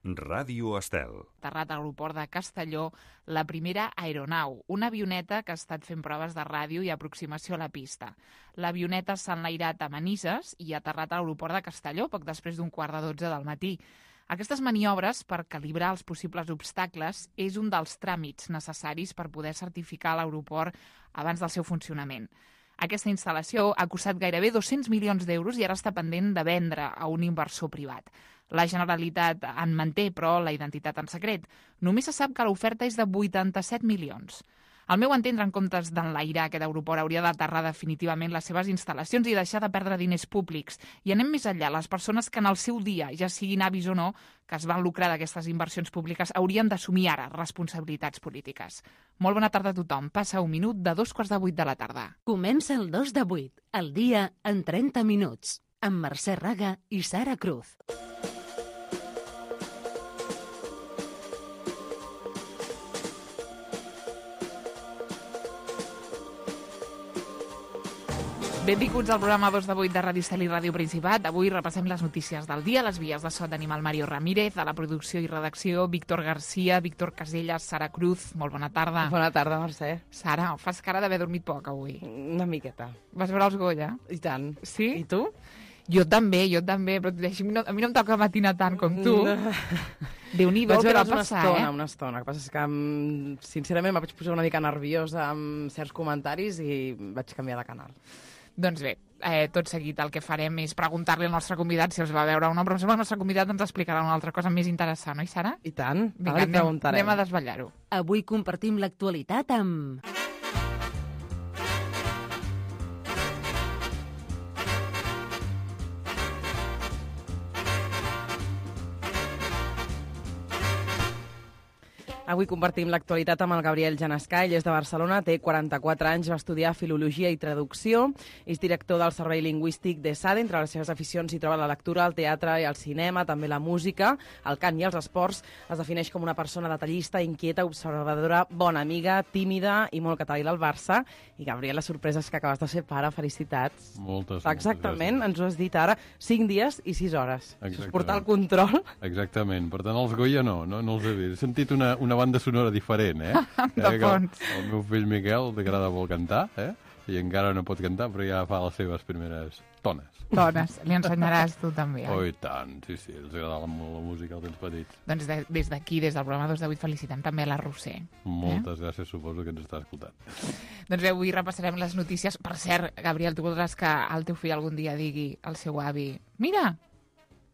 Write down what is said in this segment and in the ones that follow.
Ràdio Estel. Aterrat a l'aeroport de Castelló la primera aeronau, una avioneta que ha estat fent proves de ràdio i aproximació a la pista. L'avioneta s'ha enlairat a Manises i ha aterrat a l'aeroport de Castelló poc després d'un 11:45 del matí. Aquestes maniobres per calibrar els possibles obstacles és un dels tràmits necessaris per poder certificar l'aeroport abans del seu funcionament. Aquesta instal·lació ha costat gairebé 200 milions d'euros i ara està pendent de vendre a un inversor privat. La Generalitat en manté, però, la identitat en secret. Només se sap que l'oferta és de 87 milions. Al meu entendre, en comptes d'enlairar aquest aeroport, hauria d'aterrar definitivament les seves instal·lacions i deixar de perdre diners públics. I anem més enllà. Les persones que en el seu dia, ja siguin avis o no, que es van lucrar d'aquestes inversions públiques, haurien d'assumir ara responsabilitats polítiques. Molt bona tarda a tothom. Passa un minut de 7:45 de la tarda. Comença el 2 de 8, el dia en 30 minuts, amb Mercè Raga i Sara Cruz. Benvinguts al programa 2 de 8 de Ràdio Estel i Ràdio Principat. Avui repassem les notícies del dia, les vies de so d'Animal Mario Ramírez, a la producció i redacció Víctor Garcia, Víctor Casellas, Sara Cruz. Molt bona tarda. Bona tarda, Mercè. Sara, fas cara d'haver dormit poc avui. Una miqueta. Vas veure els Goya? I tant. Sí? I tu? Jo també, però a mi no em toca matinar tant com tu. Déu-n'hi-do, què va passar, Una estona. El que passa és que, sincerament, em vaig posar una mica nerviosa amb certs comentaris i vaig canviar de canal. Doncs bé, tot seguit el que farem és preguntar-li al nostre convidat si els va veure o no, però em sembla que el nostre convidat ens explicarà una altra cosa més interessant, oi, Sara? I tant, vinga, anem a desvetllar-ho. Avui compartim l'actualitat amb... Avui compartim l'actualitat amb el Gabriel Janescà. Ell és de Barcelona, té 44 anys, va estudiar Filologia i Traducció, és director del Servei Lingüístic de SADE. Entre les seves aficions s'hi troba la lectura, el teatre i el cinema, també la música, el cant i els esports. Es defineix com una persona detallista, inquieta, observadora, bona amiga, tímida i molt català del Barça. I Gabriel, la sorpresa és que acabes de ser pare, felicitats. Moltes Exactament, gràcies. ens ho has dit ara, 5 dies i 6 hores. Exactament. Portar el control. Exactament, per tant els Goya no els he vist. He sentit una banda sonora diferent, De fons. El meu fill Miquel t'agrada molt cantar, i encara no pot cantar, però ja fa les seves primeres tones. Dones, li ensenyaràs tu també. Oh, i tant, sí, els agrada molt la música als temps petits. Doncs des d'aquí, des del programa 2 de 8, felicitem també a la Roser. Moltes gràcies, suposo que ens està escoltant. Doncs bé, avui repassarem les notícies. Per cert, Gabriel, tu voldràs que el teu fill algun dia digui al seu avi: mira,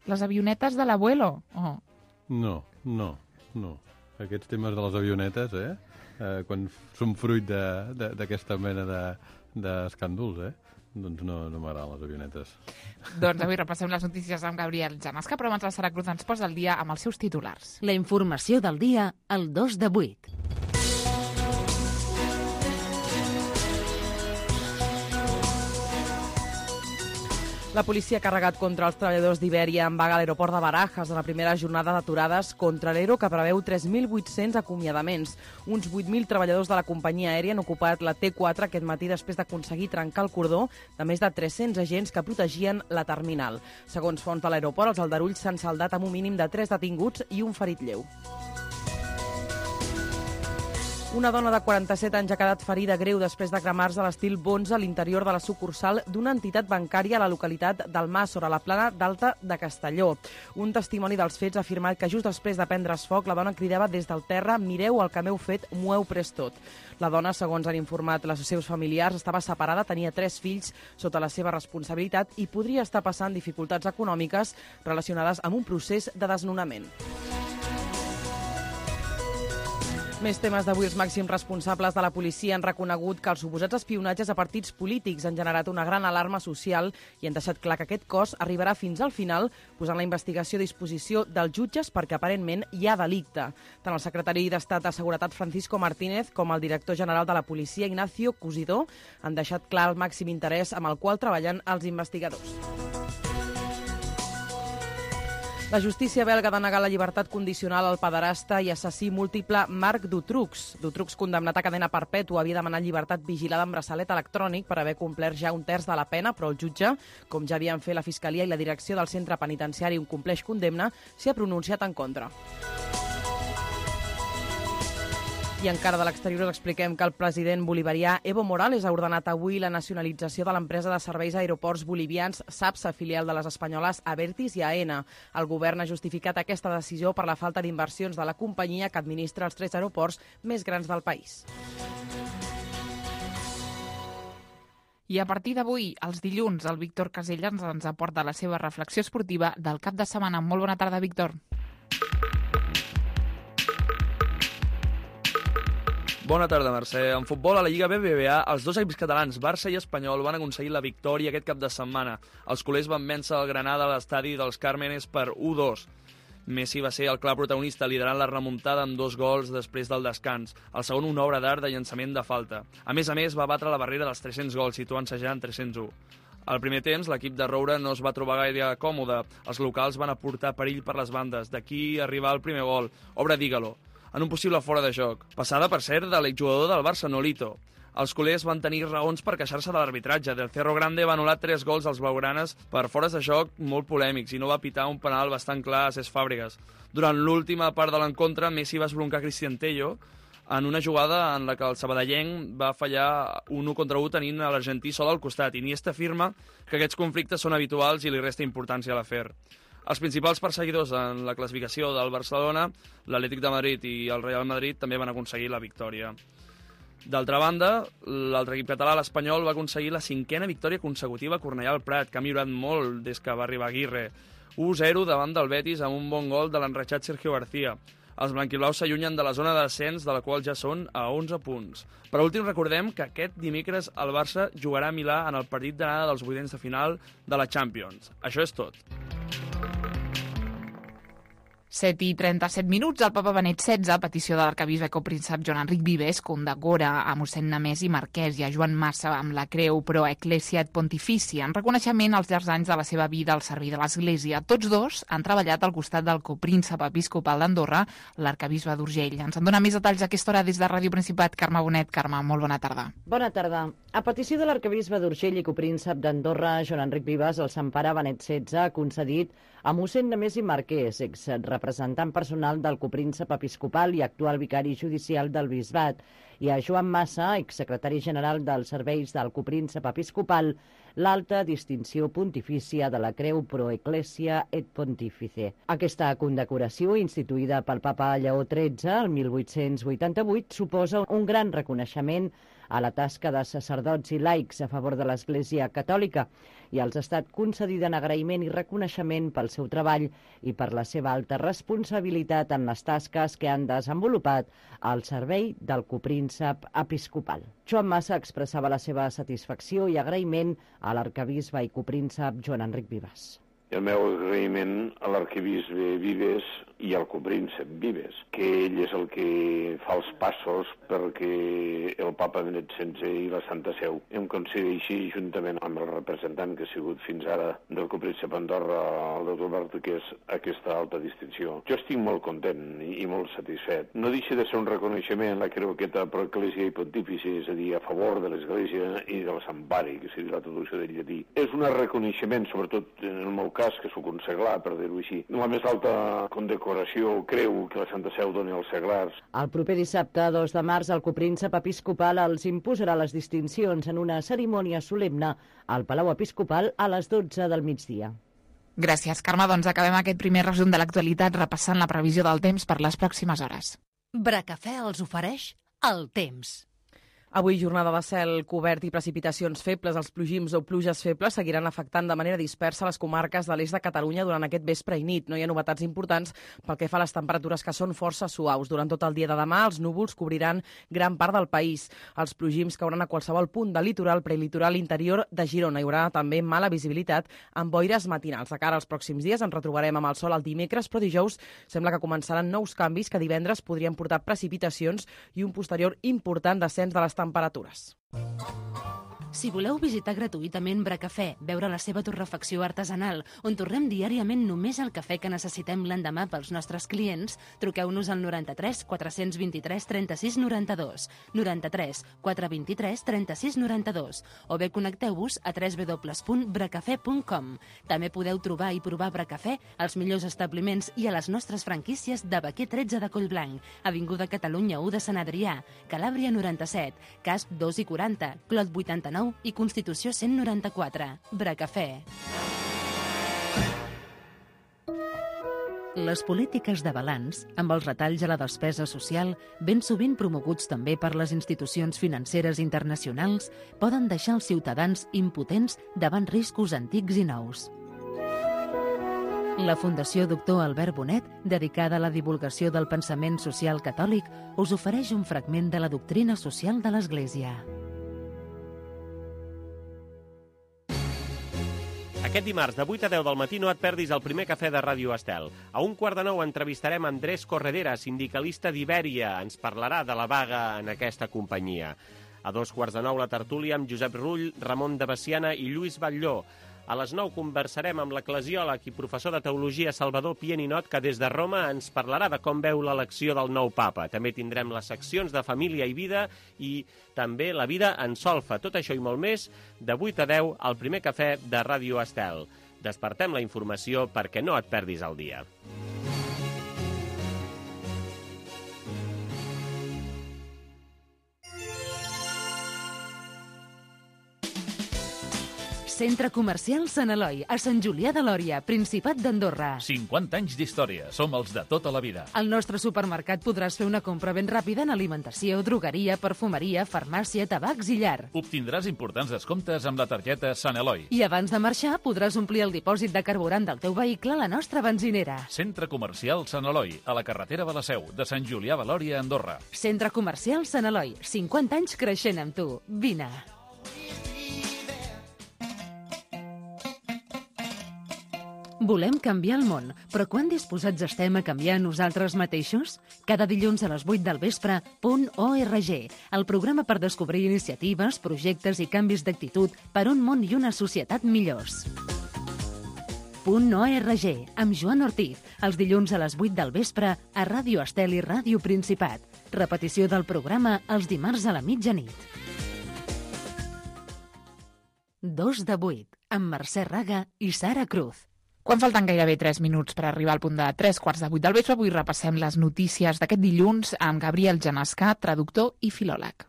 les avionetes de l'abuelo. Oh. No. Aquests temes de les avionetes, quan són fruit d'aquesta mena d'escàndols, doncs no m'agraden les avionetes. Doncs avui repassem les notícies amb Gabriel Janescà, però abans la Sara Cruz ens posa al dia amb els seus titulars. La informació del dia al 2 de 8. La policia ha carregat contra els treballadors d'Iberia en vaga a l'aeroport de Barajas en la primera jornada d'aturades contra l'Ero, que preveu 3.800 acomiadaments. Uns 8.000 treballadors de la companyia aèria han ocupat la T4 aquest matí després d'aconseguir trencar el cordó de més de 300 agents que protegien la terminal. Segons fonts de l'aeroport, els aldarulls s'han saldat amb un mínim de 3 detinguts i un ferit lleu. Una dona de 47 anys ha quedat ferida greu després de cremar-se a l'estil Bonza a l'interior de la sucursal d'una entitat bancària a la localitat d'Almàssora, a la plana d'Alta de Castelló. Un testimoni dels fets ha afirmat que just després de prendre's foc, la dona cridava des del terra: mireu el que m'heu fet, m'ho heu pres tot. La dona, segons han informat els seus familiars, estava separada, tenia 3 fills sota la seva responsabilitat i podria estar passant dificultats econòmiques relacionades amb un procés de desnonament. Més temes d'avui. Els màxims responsables de la policia han reconegut que els suposats espionatges a partits polítics han generat una gran alarma social i han deixat clar que aquest cos arribarà fins al final, posant la investigació a disposició dels jutges perquè aparentment hi ha delicte. Tant el secretari d'Estat de Seguretat Francisco Martínez com el director general de la policia Ignacio Cusidó han deixat clar el màxim interès amb el qual treballen els investigadors. La justícia belga ha denegat la llibertat condicional al pederasta i assassí múltiple Marc Dutroux. Dutroux, condemnat a cadena perpètua, havia demanat llibertat vigilada amb braçalet electrònic per haver complert ja un terç de la pena, però el jutge, com ja havien fet la Fiscalia i la direcció del centre penitenciari on compleix condemna, s'hi ha pronunciat en contra. I encara de l'exterior us expliquem que el president bolivarià Evo Morales ha ordenat avui la nacionalització de l'empresa de serveis aeroports bolivians SAPSA, filial de les espanyoles Abertis i AENA. El govern ha justificat aquesta decisió per la falta d'inversions de la companyia que administra els 3 aeroports més grans del país. I a partir d'avui, els dilluns, el Víctor Caselles ens aporta la seva reflexió esportiva del cap de setmana. Molt bona tarda, Víctor. Bona tarda, Mercè. En futbol, a la Lliga BBVA, els 2 equips catalans, Barça i Espanyol, van aconseguir la victòria aquest cap de setmana. Els culers van vèncer el Granada a l'estadi dels Càrmenes per 1-2. Messi va ser el clar protagonista, liderant la remuntada amb 2 gols després del descans. El segon, una obra d'art de llançament de falta. A més, va batre la barrera dels 300 gols, situant-se ja en 301. Al primer temps, l'equip de Roure no es va trobar gaire còmode. Els locals van aportar perill per les bandes. D'aquí arribar el primer gol, obra d'Ígalo, en un possible fora de joc. Passada, per cert, de l'exjugador del Barça, Nolito. Els culers van tenir raons per queixar-se de l'arbitratge. Del Cerro Grande va anul·lar 3 gols als blaugranes per fores de joc molt polèmics i no va pitar un penal bastant clar a Cesc Fàbregas. Durant l'última part de l'encontre, Messi va esbroncar Cristian Tello en una jugada en la que el sabadellenc va fallar un 1 contra 1 tenint a l'argentí sol al costat. Iniesta afirma que aquests conflictes són habituals i li resta importància a l'afer. Els principals perseguidors en la classificació del Barcelona, l'Atlètic de Madrid i el Real Madrid, també van aconseguir la victòria. D'altra banda, l'altre equip català, l'Espanyol, va aconseguir la 5a victòria consecutiva a Cornellà al Prat, que ha millorat molt des que va arribar Aguirre. 1-0 davant del Betis amb un bon gol de l'enreixat Sergio García. Els blanquiblaus s'allunyen de la zona de descens, de la qual ja són a 11 punts. Per últim, recordem que aquest dimecres el Barça jugarà a Milà en el partit d'anada dels vuitens de final de la Champions. Això és tot. 7:37 minuts, el papa Benet XVI, a petició de l'arquebisbe copríncep Joan Enric Vives, condecora a mossèn Nemesi Marquès i a Joan Massa amb la creu Pro Ecclesia et Pontificia, en reconeixement als llargs anys de la seva vida al servei de l'Església. Tots dos han treballat al costat del copríncep episcopal d'Andorra, l'arquebisbe d'Urgell. Ens en dona més detalls a aquesta hora des de Ràdio Principat, Carme Bonet. Carme, molt bona tarda. Bona tarda. A petició de l'arquebisbe d'Urgell i copríncep d'Andorra, Joan Enric Vives, el Sant Pare Benet XVI ha concedit a mossèn Nemesi Marquès, exrepresentant personal del copríncep episcopal i actual vicari judicial del bisbat, i a Joan Massa, exsecretari general dels serveis del copríncep episcopal, l'alta distinció pontifícia de la creu Pro Ecclesia et Pontifice. Aquesta condecoració, instituïda pel papa Lleó XIII el 1888, suposa un gran reconeixement a la tasca de sacerdots i laics a favor de l'Església Catòlica i els ha estat concedida en agraïment i reconeixement pel seu treball i per la seva alta responsabilitat en les tasques que han desenvolupat al servei del copríncep episcopal. Joan Massa expressava la seva satisfacció i agraïment a l'arquebisbe i copríncep Joan Enric Vives. El meu agraïment a l'arquebisbe Vives i al copríncep Vives, que ell és el que fa els passos perquè el papa Benet XVI i la Santa Seu em concedeixi, juntament amb el representant que ha sigut fins ara del copríncep Andorra, el doctor Bartuqués, aquesta alta distinció. Jo estic molt content i molt satisfet. No deixa de ser un reconeixement la creu aquesta Pro Ecclesia i Pontifice, és a dir, a favor de l'Església i del Sant Pare, que seria la traducció del llatí. És un reconeixement, sobretot en el meu cas, que sóc un seglar, per dir-ho així. La més alta condecoració, creu, que la Santa Seu doni als seglars. El proper dissabte, 2 de març, el copríncep episcopal els imposarà les distincions en una cerimònia solemne al Palau Episcopal a les 12 del migdia. Gràcies, Carme. Doncs acabem aquest primer resum de l'actualitat repassant la previsió del temps per les pròximes hores. Bracafè els ofereix el temps. Avui jornada de cel cobert i precipitacions febles. Els plogims o pluges febles seguiran afectant de manera dispersa les comarques de l'est de Catalunya durant aquest vespre i nit. No hi ha novetats importants pel que fa a les temperatures, que són força suaus. Durant tot el dia de demà, els núvols cobriran gran part del país. Els plogims cauran a qualsevol punt del litoral, prelitoral interior de Girona. Hi haurà també mala visibilitat amb boires matinals. De cara als pròxims dies ens retrobarem amb el sol el dimecres, però dijous sembla que començaran nous canvis que divendres podrien portar precipitacions i un posterior important descens de les temperatures. Si voleu visitar gratuïtament Bracafè, veure la seva torrefacció artesanal, on torrem diàriament només el cafè que necessitem l'endemà pels nostres clients, truqueu-nos al 93 423 36 92, 93 423 36 92, o bé connecteu-vos a www.bracafè.com. També podeu trobar i provar Bracafè als millors establiments i a les nostres franquícies de Baquer 13 de Collblanc, Avinguda Catalunya 1 de Sant Adrià, Calàbria 97, Casp 2 i 40, Clot 89 i Constitució 194. Bracafè. Les polítiques de balanç, amb els retalls a la despesa social, ben sovint promoguts també per les institucions financeres internacionals, poden deixar els ciutadans impotents davant riscos antics i nous. La Fundació Doctor Albert Bonet, dedicada a la divulgació del pensament social catòlic, us ofereix un fragment de la doctrina social de l'Església. Aquest dimarts, de 8 a 10 del matí, no et perdis el primer cafè de Ràdio Estel. A 1:15 entrevistarem Andrés Corredera, sindicalista d'Ibèria. Ens parlarà de la vaga en aquesta companyia. A 2:15 la tertúlia amb Josep Rull, Ramon de Bessiana i Lluís Batlló. A les 9 conversarem amb l'eclesiòleg i professor de teologia Salvador Pieninot, que des de Roma ens parlarà de com veu l'elecció del nou papa. També tindrem les seccions de família i vida i també la vida en solfa. Tot això i molt més, de 8 a 10, al primer cafè de Ràdio Estel. Despertem la informació perquè no et perdis el dia. Centre Comercial Sant Eloi, a Sant Julià de Lòria, Principat d'Andorra. 50 anys d'història. Som els de tota la vida. Al nostre supermercat podràs fer una compra ben ràpida en alimentació, drogueria, perfumeria, farmàcia, tabacs i llar. Obtindràs importants descomptes amb la targeta Sant Eloi. I abans de marxar podràs omplir el dipòsit de carburant del teu vehicle a la nostra benzinera. Centre Comercial Sant Eloi, a la carretera de la Seu, de Sant Julià de Lòria, Andorra. Centre Comercial Sant Eloi, 50 anys creixent amb tu. Vine. Volem canviar el món, però quan disposats estem a canviar nosaltres mateixos? Cada dilluns a les 8 del vespre, .org, el programa per descobrir iniciatives, projectes i canvis d'actitud per un món i una societat millors. .org, amb Joan Ortiz, els dilluns a les 8 del vespre a Ràdio Estel i Ràdio Principat. Repetició del programa els dimarts a la mitjanit. 2 de 8, amb Mercè Raga i Sara Cruz. Quan falten gairebé 3 minuts per arribar al punt de 3:15 del vespre, avui repassem les notícies d'aquest dilluns amb Gabriel Genescà, traductor i filòleg.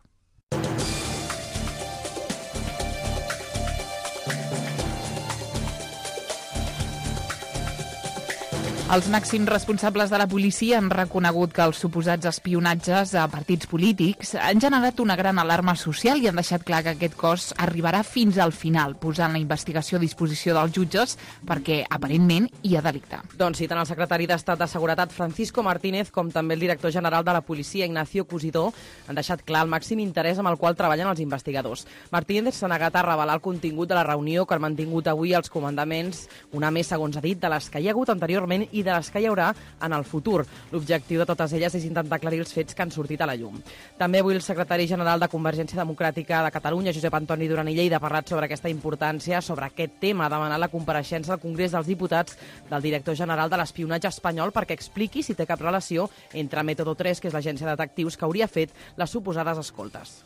Els màxims responsables de la policia han reconegut que els suposats espionatges a partits polítics han generat una gran alarma social i han deixat clar que aquest cos arribarà fins al final, posant la investigació a disposició dels jutges perquè, aparentment, hi ha delicte. Doncs sí, tant el secretari d'Estat de Seguretat, Francisco Martínez, com també el director general de la policia, Ignacio Cusidó, han deixat clar el màxim interès amb el qual treballen els investigadors. Martínez s'ha negat a revelar el contingut de la reunió que han mantingut avui els comandaments, una més, segons ha dit, de les que hi ha hagut anteriorment i de les que hi haurà en el futur. L'objectiu de totes elles és intentar aclarir els fets que han sortit a la llum. També avui el secretari general de Convergència Democràtica de Catalunya, Josep Antoni Duran i Lleida, ha parlat sobre aquesta importància, sobre aquest tema, ha demanat la compareixença al Congrés dels Diputats del director general de l'espionatge espanyol perquè expliqui si té cap relació entre Método 3, que és l'agència de detectius que hauria fet les suposades escoltes.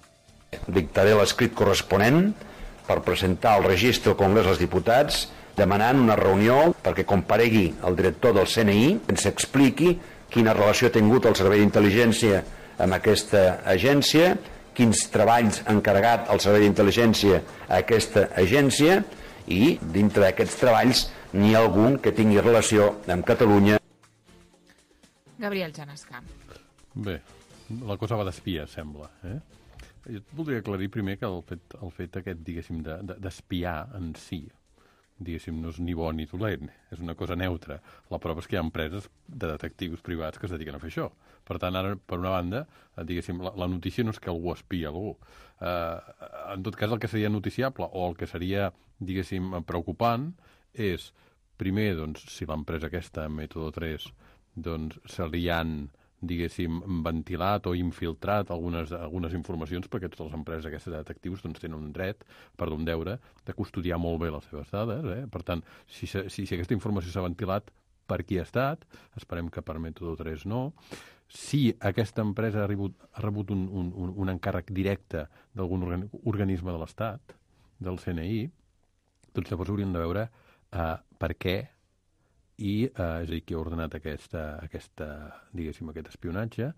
Dictaré l'escrit corresponent per presentar al registre al Congrés dels Diputats demanant una reunió perquè comparegui el director del CNI, ens expliqui quina relació ha tingut el Servei d'Intel·ligència amb aquesta agència, quins treballs ha encarregat el Servei d'Intel·ligència a aquesta agència i dintre d'aquests treballs n'hi ha algun que tingui relació amb Catalunya. Gabriel Genescà. Bé, la cosa va d'espia, sembla. Jo voldria aclarir primer que el fet aquest, diguéssim, d'espiar en si, diguéssim, no és ni bo ni dolent, és una cosa neutra. La prova és que hi ha empreses de detectius privats que es dediquen a fer això. Per tant, ara, per una banda, diguéssim, la notícia no és que algú espia algú. En tot cas, el que seria noticiable o el que seria, diguéssim, preocupant és, primer, doncs, si l'empresa aquesta, Método 3, doncs, se li han, diguéssim, ventilat o infiltrat algunes informacions, perquè totes les empreses aquestes de detectius doncs, tenen un dret, un deure, de custodiar molt bé les seves dades. Per tant, si aquesta informació s'ha ventilat, per qui ha estat, esperem que per Método 3 no. Si aquesta empresa ha rebut un encàrrec directe d'algun organisme de l'Estat, del CNI, doncs llavors hauríem de veure per què i, és a dir, qui ha ordenat aquest espionatge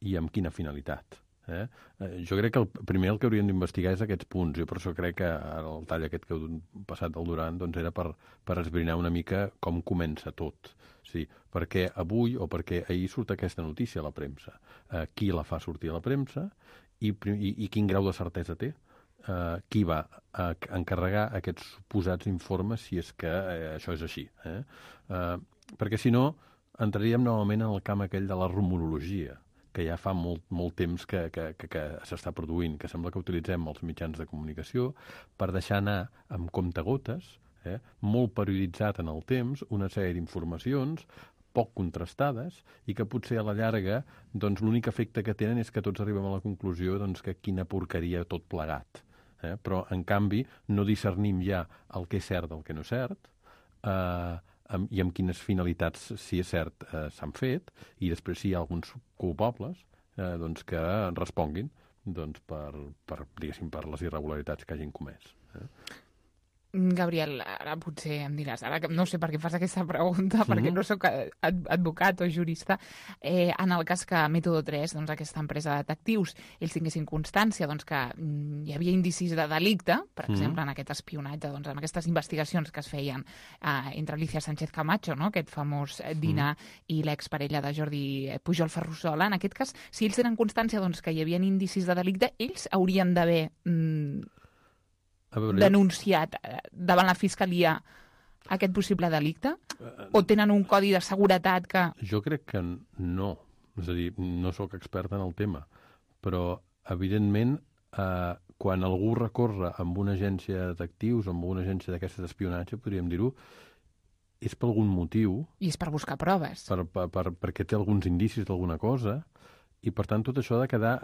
i amb quina finalitat. Jo crec que el que hauríem d'investigar és aquests punts. Jo per això crec que el tall aquest que heu passat al Duran doncs era per esbrinar una mica com comença tot. Sí, perquè avui o perquè ahir surt aquesta notícia a la premsa. Qui la fa sortir a la premsa i quin grau de certesa té? Qui va encarregar aquests suposats informes si és que això és així. Perquè si no, entraríem novament en el camp aquell de la rumorologia, que ja fa molt temps que s'està produint, que sembla que utilitzem els mitjans de comunicació per deixar anar amb comptagotes, molt perioditzat en el temps, una sèrie d'informacions poc contrastades i que potser a la llarga doncs, l'únic efecte que tenen és que tots arribem a la conclusió doncs, que quina porqueria tot plegat. Però, en canvi, no discernim ja el que és cert del que no és cert i amb quines finalitats, si és cert, s'han fet, i després si hi ha alguns culpables doncs, que responguin doncs, per les irregularitats que hagin comès. Gabriel, ara potser em diràs, ara no sé per què fas aquesta pregunta, perquè no sóc advocat o jurista, en el cas que Método 3, doncs, aquesta empresa de detectius, ells tinguessin constància doncs, que hi havia indicis de delicte, per exemple, en aquest espionatge, doncs, en aquestes investigacions que es feien entre Alicia Sánchez Camacho, no? Aquest famós dinar, i l'exparella de Jordi Pujol Ferrusola. En aquest cas, si ells tenen constància doncs, que hi havia indicis de delicte, ells haurien d'haver denunciat davant la Fiscalia aquest possible delicte? O tenen un codi de seguretat que... Jo crec que no. És a dir, no sóc expert en el tema, però, evidentment, quan algú recorre amb una agència de detectius o amb una agència d'aquestes d'espionatge, podríem dir-ho, és per algun motiu... I és per buscar proves. Perquè té alguns indicis d'alguna cosa, i, per tant, tot això ha de quedar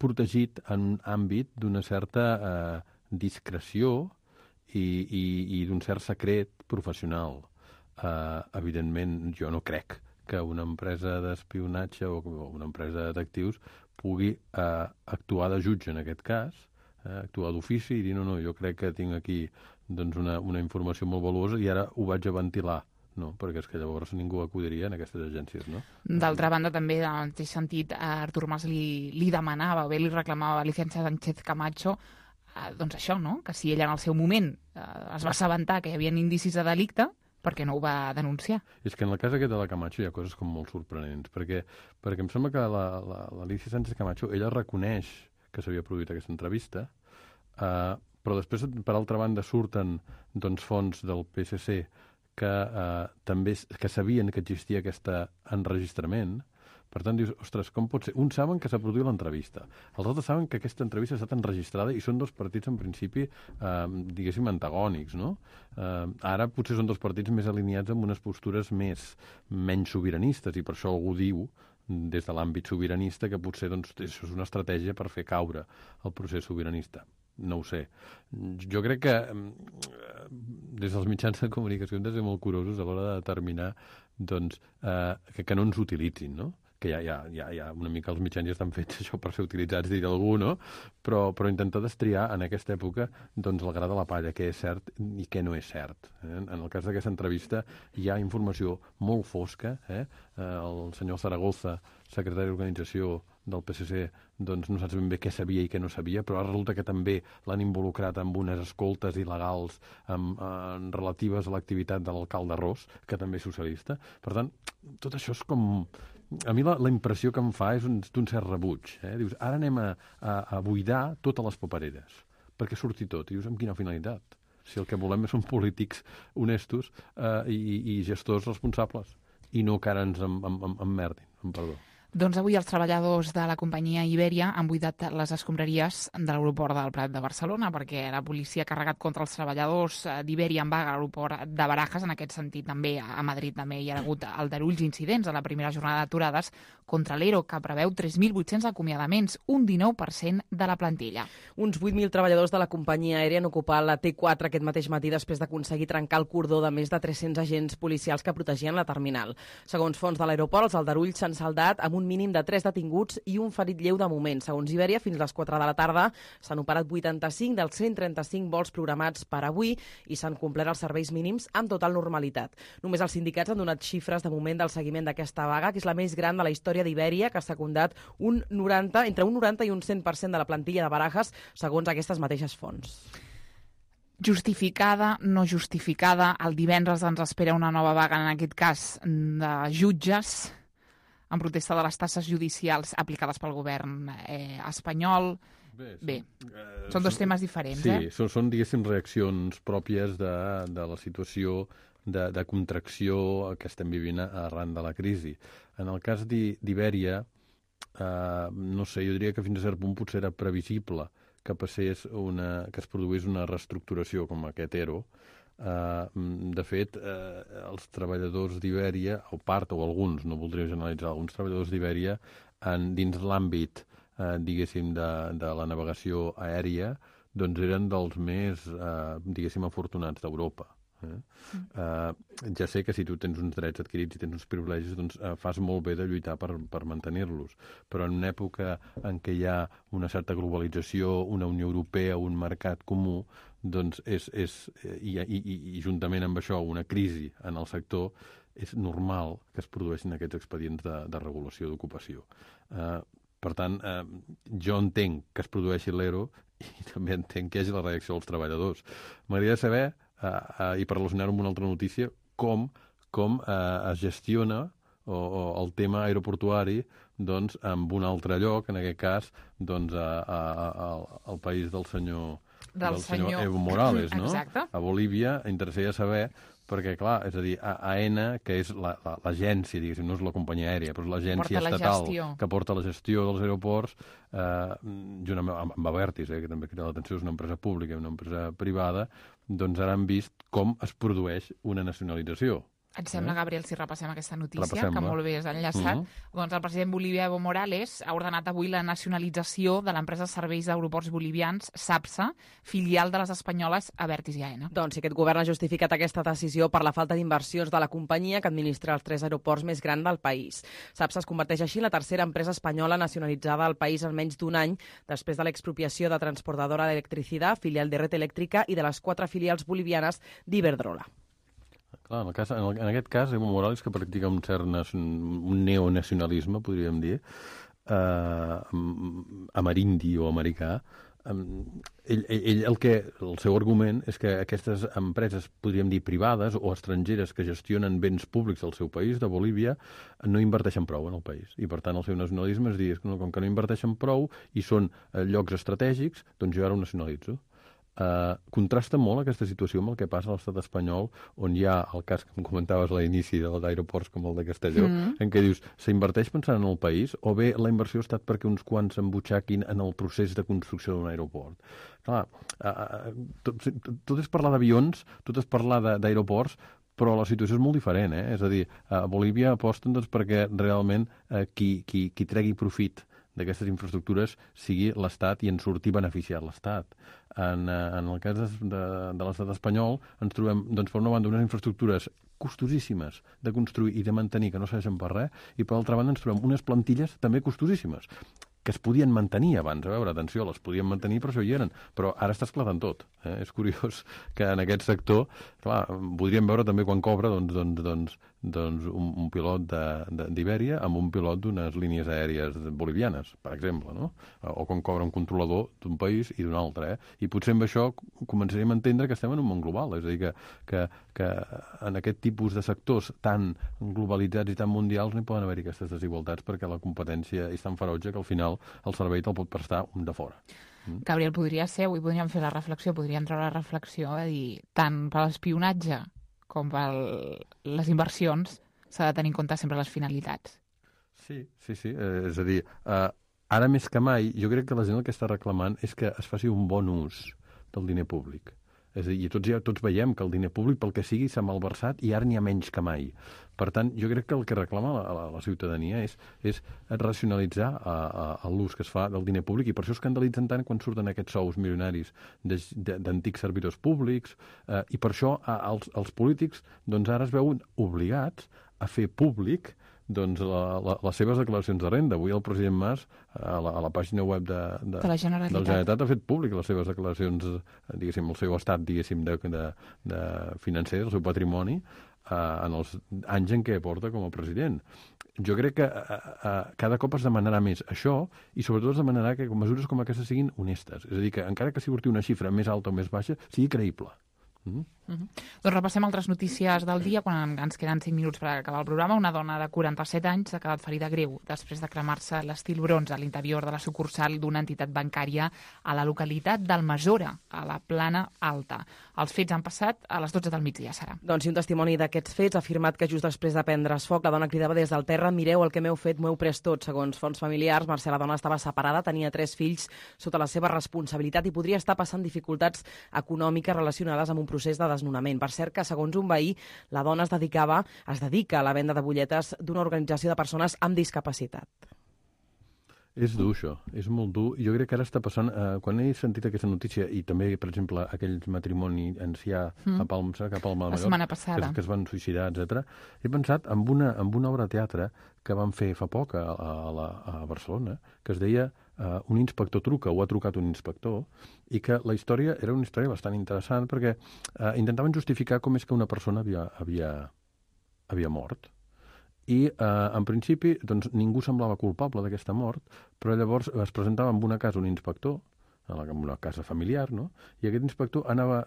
protegit en un àmbit d'una certa discreció i d'un cert secret professional. Evidentment, jo no crec que una empresa d'espionatge o una empresa de detectius pugui actuar de jutge en aquest cas, actuar d'ofici i dir no, jo crec que tinc aquí doncs, una informació molt valuosa i ara ho vaig a ventilar. No, perquè és que llavors ningú acudiria en aquestes agències, no? D'altra banda, també, en el mateix sentit, Artur Mas li demanava, o bé li reclamava a Alicia Sánchez Camacho doncs això, no? Que si ella en el seu moment es va assabentar que hi havia indicis de delicte, per què no ho va denunciar? És que en el cas aquest de la Camacho hi ha coses com molt sorprenents, perquè em sembla que l'Alicia Sánchez Camacho, ella reconeix que s'havia produït aquesta entrevista, però després, per altra banda, surten doncs, fonts del PSC que sabien que existia aquest enregistrament. Per tant, dius, ostres, com pot ser? Uns saben que s'ha produït l'entrevista, els altres saben que aquesta entrevista ha estat enregistrada i són dos partits, en principi, diguéssim, antagònics, no? Ara potser són dos partits més alineats amb unes postures menys sobiranistes i per això algú diu, des de l'àmbit sobiranista, que potser doncs, això és una estratègia per fer caure el procés sobiranista. No ho sé. Jo crec que des dels mitjans de comunicació hem de ser molt curosos a l'hora de determinar doncs, que no ens utilitzin, no? Que ja una mica els mitjans ja estan fets això per ser utilitzats, dir algú, no? Però intentar destriar en aquesta època doncs, el gra de la palla, què és cert i què no és cert. En el cas d'aquesta entrevista hi ha informació molt fosca. El senyor Zaragoza, secretari d'organització del PSC, doncs no saps ben bé què sabia i què no sabia, però ara resulta que també l'han involucrat amb unes escoltes il·legals relatives a l'activitat de l'alcalde Ros, que també és socialista. Per tant, tot això és com... A mi la impressió que em fa és d'un cert rebuig. Dius, ara anem a buidar totes les papereres, perquè surti tot. I dius, amb quina finalitat? Si el que volem són polítics honestos i gestors responsables, i no que ara ens emmerdin, amb perdó. Doncs avui els treballadors de la companyia Iberia han buidat les escombraries de l'aeroport del Prat de Barcelona perquè la policia ha carregat contra els treballadors d'Iberia en vaga a l'aeroport de Barajas. En aquest sentit, també a Madrid també hi ha hagut aldarulls incidents a la primera jornada d'aturades contra l'ERO, que preveu 3.800 acomiadaments, un 19% de la plantilla. Uns 8.000 treballadors de la companyia aèria han ocupat la T4 aquest mateix matí després d'aconseguir trencar el cordó de més de 300 agents policials que protegien la terminal. Segons fons de l'aeroport, els aldarulls s'han saldat amb un mínim de 3 detinguts i un ferit lleu de moment. Segons Iberia, fins a les 4 de la tarda s'han operat 85 dels 135 vols programats per avui i s'han complert els serveis mínims amb total normalitat. Només els sindicats han donat xifres de moment del seguiment d'aquesta vaga, que és la més gran de la història d'Iberia, que ha secundat entre un 90 i un 100% de la plantilla de Barajas, segons aquestes mateixes fonts. Justificada, no justificada, el divendres ens espera una nova vaga, en aquest cas de jutges, en protesta de les tasses judicials aplicades pel govern espanyol. Bé, són dos temes diferents. Sí, són, diguéssim, reaccions pròpies de la situació de contracció que estem vivint arran de la crisi. En el cas d'Iberia, no sé, jo diria que fins a cert punt potser era previsible que es produís una reestructuració com aquest ERO. De fet, els treballadors d'Iberia, o part o alguns, no voldria generalitzar, alguns treballadors d'Iberia, dins l'àmbit, diguéssim, de la navegació aèria, doncs eren dels més, diguéssim, afortunats d'Europa. Ja sé que si tu tens uns drets adquirits i tens uns privilegis, doncs fas molt bé de lluitar per mantenir-los, però en una època en què hi ha una certa globalització, una Unió Europea, un mercat comú, doncs i juntament amb això una crisi en el sector, és normal que es produeixin aquests expedients de regulació d'ocupació. Per tant, jo entenc que es produeixi l'ERO i també entenc que hi hagi la reacció dels treballadors. M'agradaria saber, i per relacionar-ho amb una altra notícia, com es gestiona el tema aeroportuari doncs, en un altre lloc, en aquest cas doncs, al país del senyor Evo Morales, no? Exacte. A Bolívia. Interessaria saber, perquè, clar, és a dir, AENA, que és l'agència, diguéssim, no és la companyia aèria, però és l'agència estatal que porta la gestió dels aeroports, juntament amb Abertis, que també crida l'atenció, és una empresa pública i una empresa privada, doncs ara han vist com es produeix una nacionalització. Et sembla, Gabriel, si repassem aquesta notícia, que molt bé has enllaçat? Doncs el president Bolívia, Evo Morales, ha ordenat avui la nacionalització de l'empresa de serveis d'aeroports bolivians, SAPSA, filial de les espanyoles Abertis i AENA. Doncs sí, aquest govern ha justificat aquesta decisió per la falta d'inversions de la companyia que administra els 3 aeroports més grans del país. SAPSA es converteix així en la tercera empresa espanyola nacionalitzada al país en menys d'un any, després de l'expropiació de Transportadora d'Electricidad, filial de Red Eléctrica, i de les 4 filials bolivianes d'Iberdrola. Clar, en aquest cas, Evo Morales, que practica un cert un neonacionalisme, podríem dir, amerindi o americà, el seu argument és que aquestes empreses, podríem dir, privades o estrangeres que gestionen béns públics del seu país, de Bolívia, no inverteixen prou en el país. I, per tant, el seu nacionalisme és dir, com que no inverteixen prou i són llocs estratègics, doncs jo ara ho nacionalitzo. Contrasta molt aquesta situació amb el que passa a l'estat espanyol, on hi ha el cas que em comentaves a l'inici d'aeroports com el de Castelló, en què dius, s'inverteix pensant en el país o bé la inversió ha estat perquè uns quants s'embutxaquin en el procés de construcció d'un aeroport? Clar, tot és parlar d'avions, tot és parlar d'aeroports, però la situació és molt diferent, És a dir, a Bolívia aposten doncs, perquè realment qui tregui profit d'aquestes infraestructures sigui l'Estat i en surti beneficiat l'Estat. En el cas de l'estat espanyol ens trobem, doncs, per una banda, unes infraestructures costosíssimes de construir i de mantenir que no serveixen per res, i per altra banda ens trobem unes plantilles també costosíssimes que es podien mantenir abans. A veure, atenció, les podien mantenir, per això hi eren, però ara està esclatant tot. És curiós que en aquest sector, clar, podríem veure també quan cobra un pilot d'Ibèria amb un pilot d'unes línies aèries bolivianes, per exemple, no? O quan cobra un controlador d'un país i d'un altre. I potser amb això començaríem a entendre que estem en un món global, és a dir, que en aquest tipus de sectors tan globalitzats i tan mundials no hi poden haver aquestes desigualtats perquè la competència és tan ferotge que al final el servei te'l pot prestar un de fora. Gabriel, podria ser, avui podríem fer la reflexió, podríem treure la reflexió de dir, tant per l'espionatge com per les inversions s'ha de tenir en compte sempre les finalitats. Sí. És a dir, ara més que mai, jo crec que la gent el que està reclamant és que es faci un bon ús del diner públic. És a dir, tots veiem que el diner públic, pel que sigui, s'ha malversat i ara n'hi ha menys que mai. Per tant, jo crec que el que reclama la ciutadania és racionalitzar l'ús que es fa del diner públic, i per això escandalitzen tant quan surten aquests sous milionaris d'antics servidors públics, i per això els polítics doncs, ara es veuen obligats a fer públic doncs, les seves declaracions de renda. Avui el president Mas, a la pàgina web de la Generalitat, ha fet públic les seves declaracions, diguéssim, el seu estat, diguéssim, de financer, el seu patrimoni, en els anys en què porta com a president. Jo crec que cada cop es demanarà més això, i sobretot es demanarà que mesures com aquestes siguin honestes. És a dir, que encara que surti una xifra més alta o més baixa, sigui creïble. Doncs repassem altres notícies del dia quan ens queden 5 minuts per acabar el programa. Una dona de 47 anys ha quedat ferida greu després de cremar-se l'estil bronze a l'interior de la sucursal d'una entitat bancària a la localitat d'Almassora, a la Plana Alta. Els fets han passat a les 12 del migdia, Sara. Doncs si un testimoni d'aquests fets ha afirmat que just després de prendre's foc la dona cridava des del terra: mireu el que m'heu fet, m'ho heu pres tot. Segons fonts familiars, Mercè, la dona estava separada, tenia 3 fills sota la seva responsabilitat i podria estar passant dificultats econòmiques relacionades amb un procés de desnonament. Per cert que, segons un veí, la dona es dedica a la venda de butlletes d'una organització de persones amb discapacitat. És dur, això. És molt dur. Jo crec que ara està passant... quan he sentit aquesta notícia, i també, per exemple, aquell matrimoni ancià a Palma de Mallorca, que es van suïcidar, etc., he pensat en una obra de teatre que van fer fa poc a Barcelona, que es deia Un inspector truca, o ha trucat un inspector, i que la història era una història bastant interessant perquè intentaven justificar com és que una persona havia mort. I, en principi, doncs, ningú semblava culpable d'aquesta mort, però llavors es presentava en una casa un inspector, en una casa familiar, no? I aquest inspector anava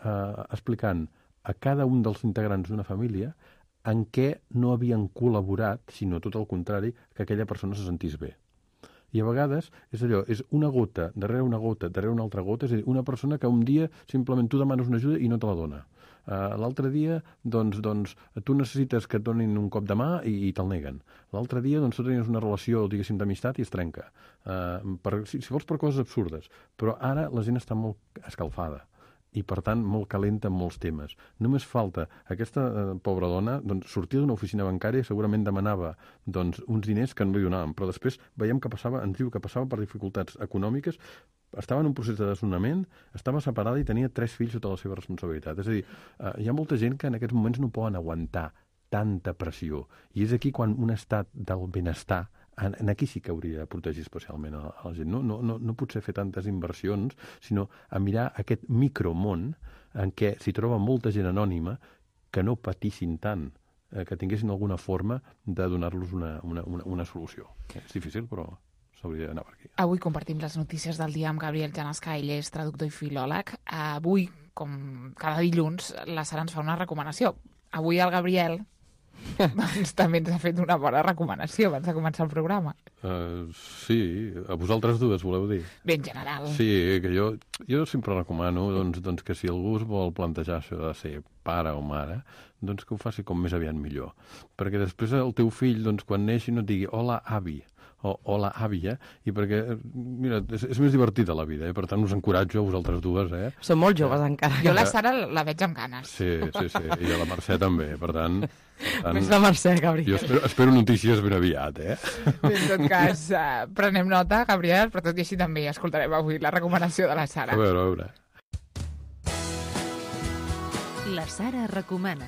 explicant a cada un dels integrants d'una família en què no havien col·laborat, sinó tot el contrari, que aquella persona se sentís bé. I a vegades és allò, és una gota, darrere una gota, darrere una altra gota, és a dir, una persona que un dia simplement tu demanes una ajuda i no te la dona. L'altre dia, doncs, tu necessites que et donin un cop de mà i te'l neguen. L'altre dia, doncs, tu tenies una relació, diguéssim, d'amistat i es trenca. Si vols, per coses absurdes. Però ara la gent està molt escalfada i, per tant, molt calenta en molts temes. Només falta aquesta pobra dona, doncs, sortia d'una oficina bancària i segurament demanava doncs, uns diners que no li donaven, però després veiem que ens diu que passava per dificultats econòmiques, estava en un procés de desnonament, estava separada i tenia 3 fills sota la seva responsabilitat. És a dir, hi ha molta gent que en aquests moments no poden aguantar tanta pressió. I és aquí quan un estat del benestar, aquí sí que hauria de protegir especialment a la gent. No potser fer tantes inversions, sinó a mirar aquest micromón en què s'hi troba molta gent anònima que no patissin tant, que tinguessin alguna forma de donar-los una solució. És difícil, però s'hauria d'anar per aquí. Avui compartim les notícies del dia amb Gabriel Janasca, ell és traductor i filòleg. Avui, com cada dilluns, la Sara ens fa una recomanació. Avui el Gabriel doncs també ens ha fet una bona recomanació abans de començar el programa. Sí, a vosaltres dues, voleu dir? Bé, en general. Sí, que jo sempre recomano doncs que si algú es vol plantejar això de ser pare o mare, doncs que ho faci com més aviat millor. Perquè després el teu fill, doncs, quan neixi, no et digui hola, avi, o hola, àvia, i perquè, mira, és més divertida la vida, per tant us encoratjo a vosaltres dues, Són molt joves encara. Jo la Sara la veig amb ganes. Sí, i a la Mercè també, per tant... Més la Mercè, Gabriel. Jo espero notícies ben aviat, En tot cas, prenem nota, Gabriel, però tot i així també escoltarem avui la recomanació de la Sara. A veure. La Sara recomana.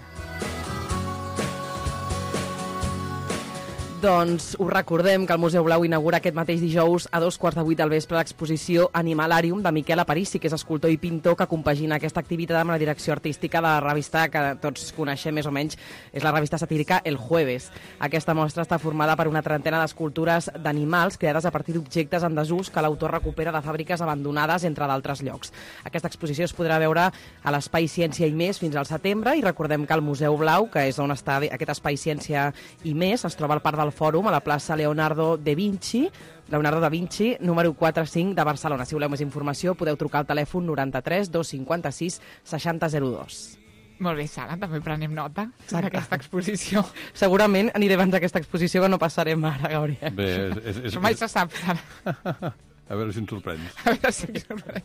Doncs us recordem que el Museu Blau inaugura aquest mateix dijous a 7:15 del vespre l'exposició Animalarium de Miquel Aparici, que és escultor i pintor que compagina aquesta activitat amb la direcció artística de la revista que tots coneixem més o menys, és la revista satírica El Jueves. Aquesta mostra està formada per una trentena d'escultures d'animals creades a partir d'objectes en desús que l'autor recupera de fàbriques abandonades, entre d'altres llocs. Aquesta exposició es podrà veure a l'Espai Ciència i Més fins al setembre, i recordem que el Museu Blau, que és on està aquest Espai Ciència i Més, es troba al Parc del Fòrum, a la plaça Leonardo da Vinci, número 45 de Barcelona. Si voleu més informació podeu trucar al telèfon 93 256 6002. Molt bé, Sara, també prenem nota d'aquesta exposició. Segurament aniré abans d'aquesta exposició, que no passarem ara, Gabriel. Bé, Mai se sap, Sara. A veure si ens sorprens. A veure si ens sorprens.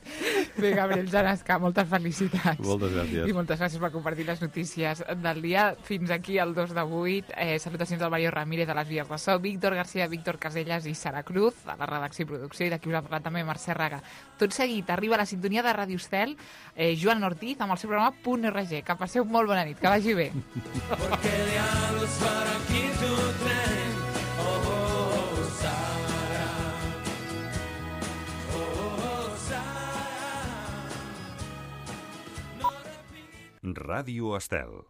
Bé, Gabriel Janasca, moltes felicitats. Moltes gràcies. I moltes gràcies per compartir les notícies del dia. Fins aquí el 2 de 8. Salutacions del Mario Ramírez a les vies de so, Víctor García, Víctor Casellas i Sara Cruz, a la redacció i producció, i d'aquí us ha parlat també Mercè Raga. Tot seguit arriba la sintonia de Ràdio Estel, Joan Ortiz, amb el seu programa .RG. Que passeu molt bona nit, que vagi bé. Porque diablos para aquí tu tren, Ràdio Estel.